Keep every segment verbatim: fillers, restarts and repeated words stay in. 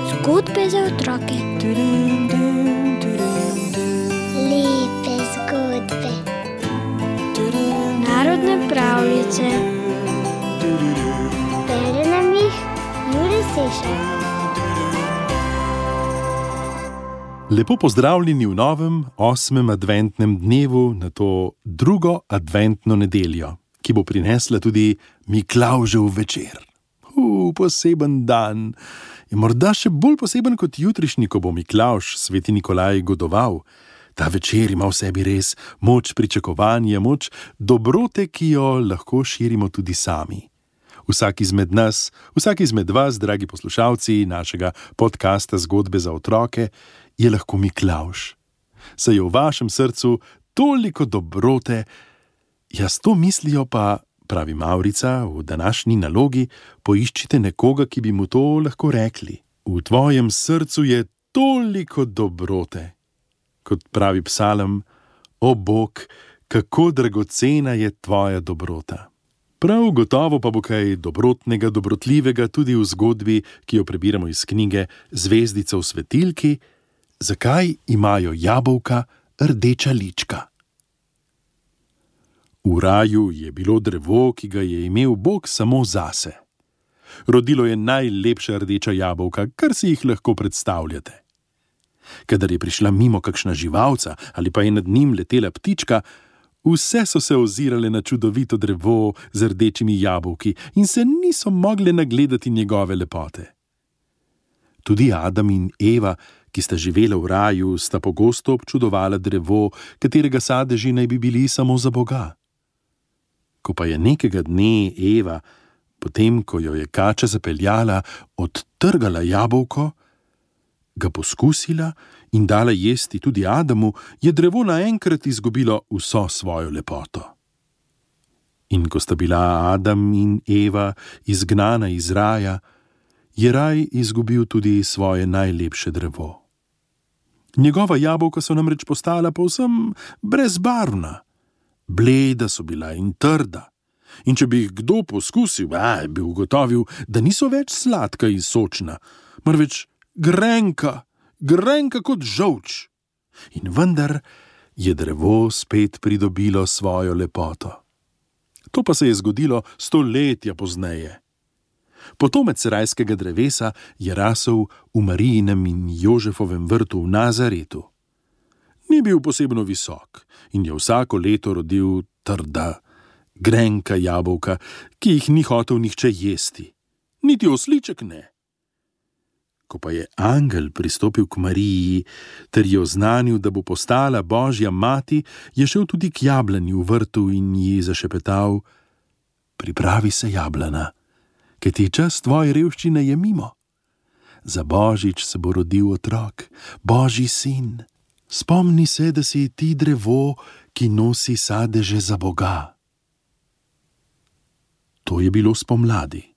Zgodbe za otroke. Lepe zgodbe. Narodne pravljice. Bere nam jih Jure Sešar. Lepo pozdravljeni v novem, osmem adventnem dnevu na to drugo adventno nedeljo, ki bo prinesla tudi Miklavžev večer. Uh, poseben dan. Je morda še bolj poseben kot jutrišnji, ko bo Miklavž, sveti Nikolaj, godoval. Ta večer ima v sebi res moč pričakovanja, moč dobrote, ki jo lahko širimo tudi sami. Vsak izmed nas, vsak izmed vas, dragi poslušalci našega podcasta Zgodbe za otroke, je lahko Miklavž. Saj je v vašem srcu toliko dobrote, jaz to mislijo pa, pravi Mavrica, v današnji nalogi poiščite nekoga, ki bi mu to lahko rekli. V tvojem srcu je toliko dobrote. Kot pravi psalm, o Bog, kako dragocena je tvoja dobrota. Prav gotovo pa bo kaj dobrotnega, dobrotljivega tudi v zgodbi, ki jo prebiramo iz knjige Zvezdica v svetilki, zakaj imajo jabolka rdeča lička. V raju je bilo drevo, ki ga je imel Bog samo zase. Rodilo je najlepša rdeča jabolka, kar si jih lahko predstavljate. Kadar je prišla mimo kakšna živalca ali pa je nad njim letela ptička, vse so se ozirale na čudovito drevo z rdečimi jabolki in se niso mogle nagledati njegove lepote. Tudi Adam in Eva, ki sta živela v raju, sta pogosto občudovala drevo, katerega sadeži naj bi bili samo za Boga. Ko pa je nekega dne Eva, potem ko jo je kača zapeljala, odtrgala jabolko, ga poskusila in dala jesti tudi Adamu, je drevo naenkrat izgubilo vso svojo lepoto. In ko sta bila Adam in Eva izgnana iz raja, je raj izgubil tudi svoje najlepše drevo. Njegova jabolka so namreč postala povsem brezbarvna. Bleda so bila in trda. In če bi jih kdo poskusil, aj, bi ugotovil, da niso več sladka in sočna, marveč grenka, grenka kot žolč. In vendar je drevo spet pridobilo svojo lepoto. To pa se je zgodilo stoletja pozneje. Potomec rajskega drevesa je rasel v Marijinem in Jožefovem vrtu v Nazaretu. Ni bil posebno visok in je vsako leto rodil trda, grenka jabolka, ki jih ni hotel nihče jesti. Niti osliček ne. Ko pa je angel pristopil k Mariji ter ji oznanil, da bo postala Božja mati, je šel tudi k jablani v vrtu in ji zašepetal: pripravi se, jablana, kajti čas tvoje revščine je mimo. Za Božič se bo rodil otrok, Božji sin. Spomni se, da si ti drevo, ki nosi sadeže za Boga. To je bilo spomladi.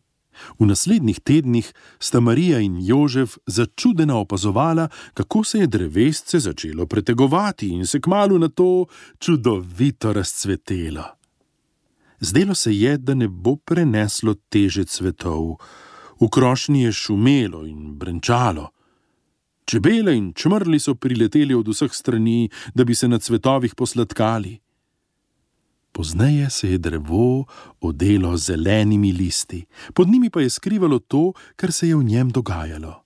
V naslednjih tednih sta Marija in Jožef začudeno opazovala, kako se je drevesce začelo pretegovati in se kmalu na to čudovito razcvetelo. Zdelo se je, da ne bo preneslo teže cvetov. V krošnji je šumelo in brenčalo. Čebele in čmrli so prileteli od vseh strani, da bi se na cvetovih posladkali. Pozneje se je drevo odelo z zelenimi listi, pod njimi pa je skrivalo to, kar se je v njem dogajalo.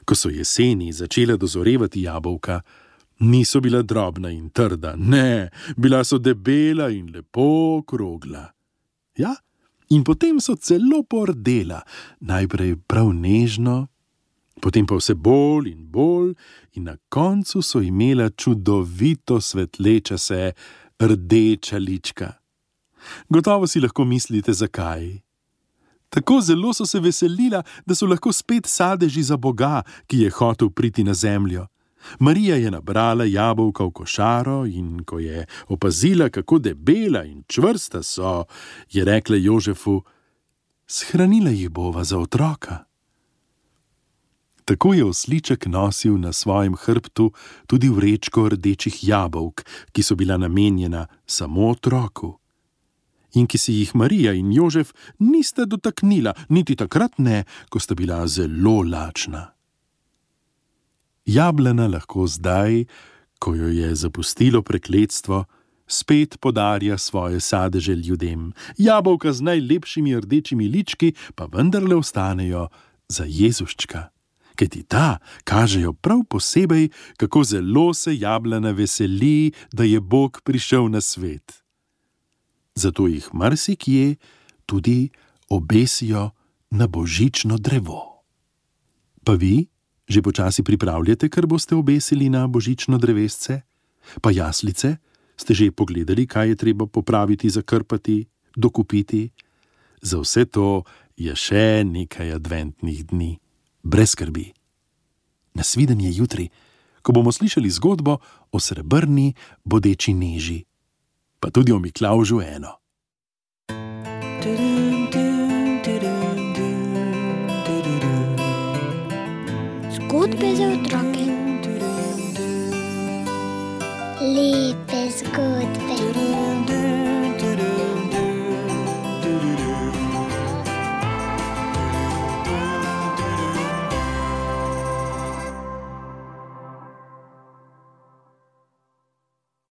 Ko so jeseni začele dozorevati jabolka, niso bila drobna in trda, ne, bila so debela in lepo okrogla. Ja, in potem so celo pordela, najprej prav nežno, potem pa vse bolj in bolj in na koncu so imela čudovito svetleča se rdeča lička. Gotovo si lahko mislite, zakaj. Tako zelo so se veselila, da so lahko spet sadeži za Boga, ki je hotel priti na zemljo. Marija je nabrala jabolka v košaro in ko je opazila, kako debela in čvrsta so, je rekla Jožefu: shranila jih bova za otroka. Tako je osliček nosil na svojem hrbtu tudi vrečko rdečih jabolk, ki so bila namenjena samo otroku. in ki si jih Marija in Jožef nista dotaknila, niti takrat ne, ko sta bila zelo lačna. Jablana lahko zdaj, ko jo je zapustilo prekletstvo, spet podarja svoje sadeže ljudem. Jabolka z najlepšimi rdečimi lički pa vendarle ostanejo za Jezuščka, kajti ta kažejo prav posebej, kako zelo se jablana veseli, da je Bog prišel na svet. Zato jih marsikje tudi obesijo na božično drevo. Pa vi že počasi pripravljate, kar boste obesili na božično drevesce? Pa jaslice? Ste že pogledali, kaj je treba popraviti, zakrpati, dokupiti? Za vse to je še nekaj adventnih dni. Brez skrbi. Nasvidenje jutri, ko bomo slišali zgodbo o srebrni bodeči neži. Pa tudi o Miklavžu eno. Zgodbe za otroke. Lepe zgodbe.